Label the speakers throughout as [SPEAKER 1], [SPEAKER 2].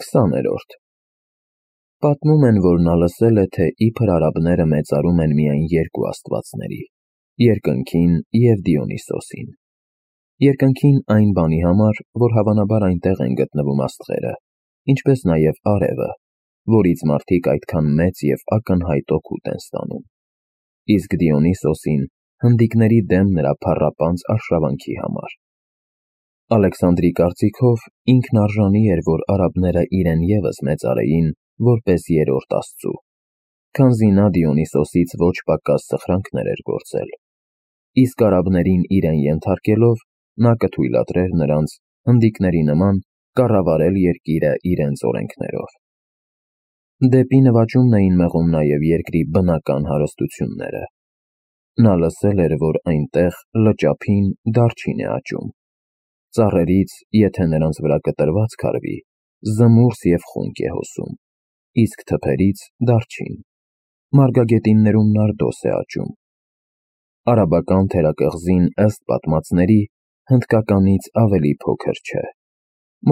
[SPEAKER 1] 20-րդ Պատմում են, որ նա լսել է, թե իբր արաբները մեծարում են միայն երկու աստվածների՝ երկնքին և Դիոնիսոսին։ Երկնքին այն բանի համար, որ հավանաբար այնտեղ են գտնվում աստղերը, ինչպես նաև արևը, որից մարդիկ այդքան մեծ և ակնհայտ օգուտ են ստանում, իսկ Դիոնիսոսին հնդիկների դեմ նրա փառապանծ արշավանքի համար։ Ալեքսանդրի կարծիքով ինքն արժանի էր, որ արաբները իրեն ևս մեծարեին որպես երրորդ աստծու, քանզի նա Դիոնիսոսից ոչ պակաս սխրանքներ էր գործել, իսկ արաբներին իրեն ենթարկելով նա կթույլատրեր նրանց, հնդիկների նման, կառավարել երկիրը իրենց օրենքներով։ Դեպի նվաճումն էին մղում նաև երկրի բնական հարստությունները։ Նա լսել էր, որ այնտեղ լճափին դարչին է աճում, ծառերից, եթե նրանց վրա կտրված քարվի, զմուրս և խունկ է հոսում, իսկ թփերից դարչին, մարգագետիններում նարդոս է աճում։ Արաբական թերակղզին, ըստ պատմածների, հնդկականից ավելի փոքր չէ։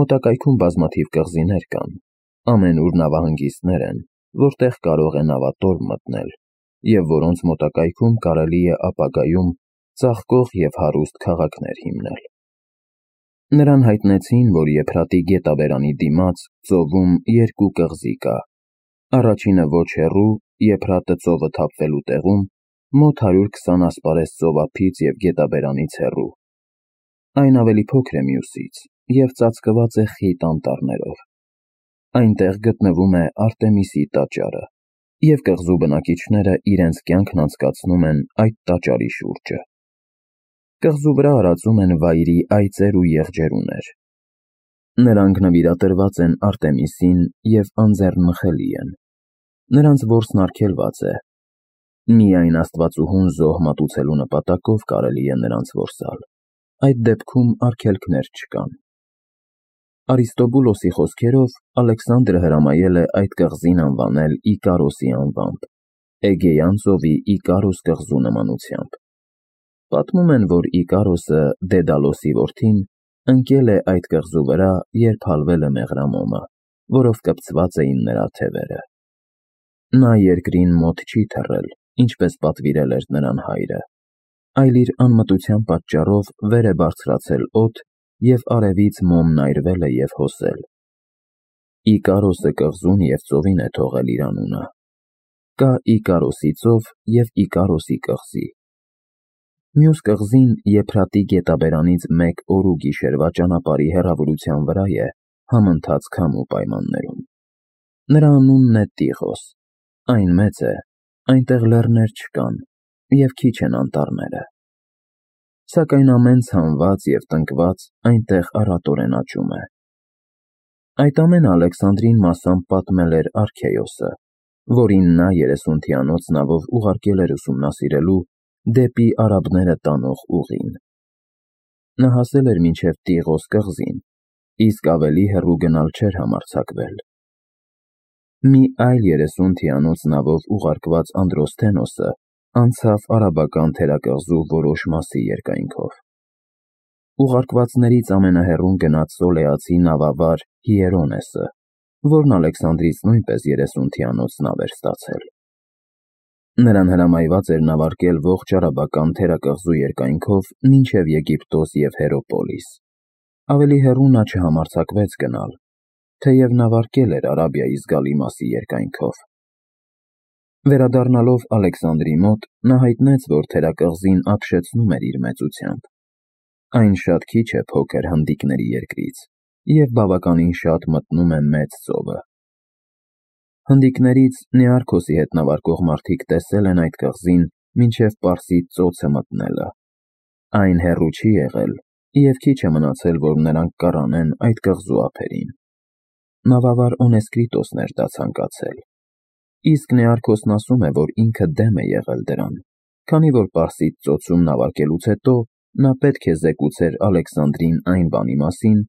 [SPEAKER 1] Մոտակայքում բազմաթիվ կղզիներ կան, ամենուր նավահանգիստներ են, որտեղ կարող է նավատորմ մտնել, և որոնց մոտակայքում կարելի է ապագայում ծաղկող և հարուստ քաղաքներ հիմնել։ Նրան հայտնեցին, որ Եփրատի գետաբերանի դիմաց ծովում երկու կղզի կա, առաջինը ոչ հեռու, Եփրատը ծովը թափվելու տեղում, մոտ 120 ասպարեզ ծովափից և գետաբերանից հեռու։ Այն ավելի փոքր է մյուսից և ծածկված է խիտ անտառներով։ Այնտեղ գտնվում է Արտեմիսի տաճարը, և կղզու բնակիչները իրենց կյանքն անցկացնում են այդ տաճարի շուրջը։ Կղզու վրա արածում են վայրի այծեր ու եղջերուներ։ Նրանք նվիրատրված են Արտեմիսին և անձեռնմխելի են։ Նրանց որսն արգելված է։ Միայն աստվածուհուն զոհ մատուցելու նպատակով կարելի է նրանց որսալ, այդ դեպքում արգելքներ չկան։ Արիստոբուլոսի խոսքերով Ալեքսանդրը հրամայել է այդ կղզին անվանել Իկարոսի անվամբ, Էգեյան ծովի Իկարոս կղզու նմանությամբ։ Պատմում են, որ Իկարոսը, Դեդալոսի որդին, ընկել է այդ կղզու վրա, երբ հալվել է մեղրամոմը, որով կպցված էին նրա թևերը։ Նա երկրին մոտ չի թռել, ինչպես պատվիրել էր նրան հայրը, այլ իր անմտության պատճառով վեր է բարձրացել օդ և արևից մոմն այրվել է և հոսել։ Իկարոսը կղզուն և ծովին է թողել իր անունը։ Կա Իկարոսի ծով և Իկարոսի կղզի։ Մյուս կղզին Եփրատի գետաբերանից 1 օր ու գիշերվա ճանապարհի հեռավորության վրա է համընթաց քամու պայմաններում։ Նրա անունն է Տիղոս, այն մեծ է, այնտեղ լեռներ չկան և քիչ են անտառները։ Սակայն ամեն ցանված և տնկված այնտեղ առատորեն աճում է։ Այդ ամենը Ալեքսանդրին մասամբ պատմել էր Արքեոսը, որին նա 30-թիանոց նավով ուղարկել էր ուսումնասիրելու դեպի արաբները տանող ուղին։ Նա հասել էր մինչև Տիղոս կղզին, իսկ ավելի հեռու գնալ չէր համարձակվել։ Մի այլ 30-թիանոց նավով ուղարկված Անդրոսթենոսը անցավ արաբական թերակղզու որոշ մասի երկայնքով։ Ուղարկվածներից ամենահեռուն գնաց Սոլեացի նավավար Հիերոնեսը, որն Ալեքսանդրից նույնպես 30-թիանոց նավ էր ստացել։ Նրան հրամայված էր նավարկել ողջ արաբական թերակղզու երկայնքով մինչև Եգիպտոս և Հերոպոլիս։ Ավելի հեռու նա չհամարձակվեց գնալ, թեև նավարկել էր Արաբիայի զգալի մասի երկայնքով։ Վերադառնալով Ալեքսանդրի մոտ, նա հայտնեց, որ թերակղզին ապշեցնում էր իր մեծությամբ։ Այն շատ քիչ է փոքր հնդիկների երկրից և բավականին շատ մտնում է Մեծ ծովը։ Հնդիկներից Նեարքոսի հետ նավարկող մարդիկ տեսել են այդ կղզին մինչև Պարսից ծոցը մտնելը։ Այն հեռու չի եղել և քիչ է մնացել, որ նրանք կառանեն այդ կղզու ափերին։ Նավավար Օնեսկրիտոսն էր դա ցանկացել։ Իսկ Նեարքոսն ասում է, որ ինքը դեմ է եղել դրան, քանի որ Պարսից ծոցում նավարկելուց հետո նա պետք է զեկուցեր Ալեքսանդրին այն բանի մասին,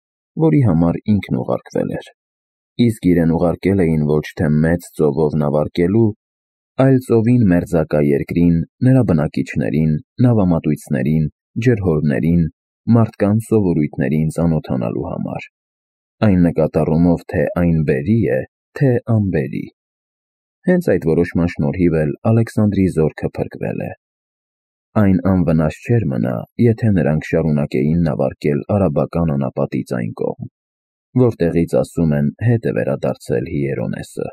[SPEAKER 1] որի համար ինքն ուղարկվել էր։ Իսկ իրեն ուղարկել էին ոչ թե Մեծ ծովով նավարկելու, այլ ծովին մերձակա երկրին, նրա բնակիչներին, նավամատույցներին, ջրհորներին, մարդկանց սովորույթներին ծանոթանալու համար։ այն նկատառումով, թե այն բերի է, թե անբերի։ Հենց այդ որոշման շնորհիվ էլ Ալեքսանդրի զորքը փրկվել է։ Այն անվնաս չէր մնա, եթե նրանք շարունակեին նավարկել արաբական անապատից այն կողմ, որտեղից, ասում են, հետ է վերադարձել Հիերոնեսը։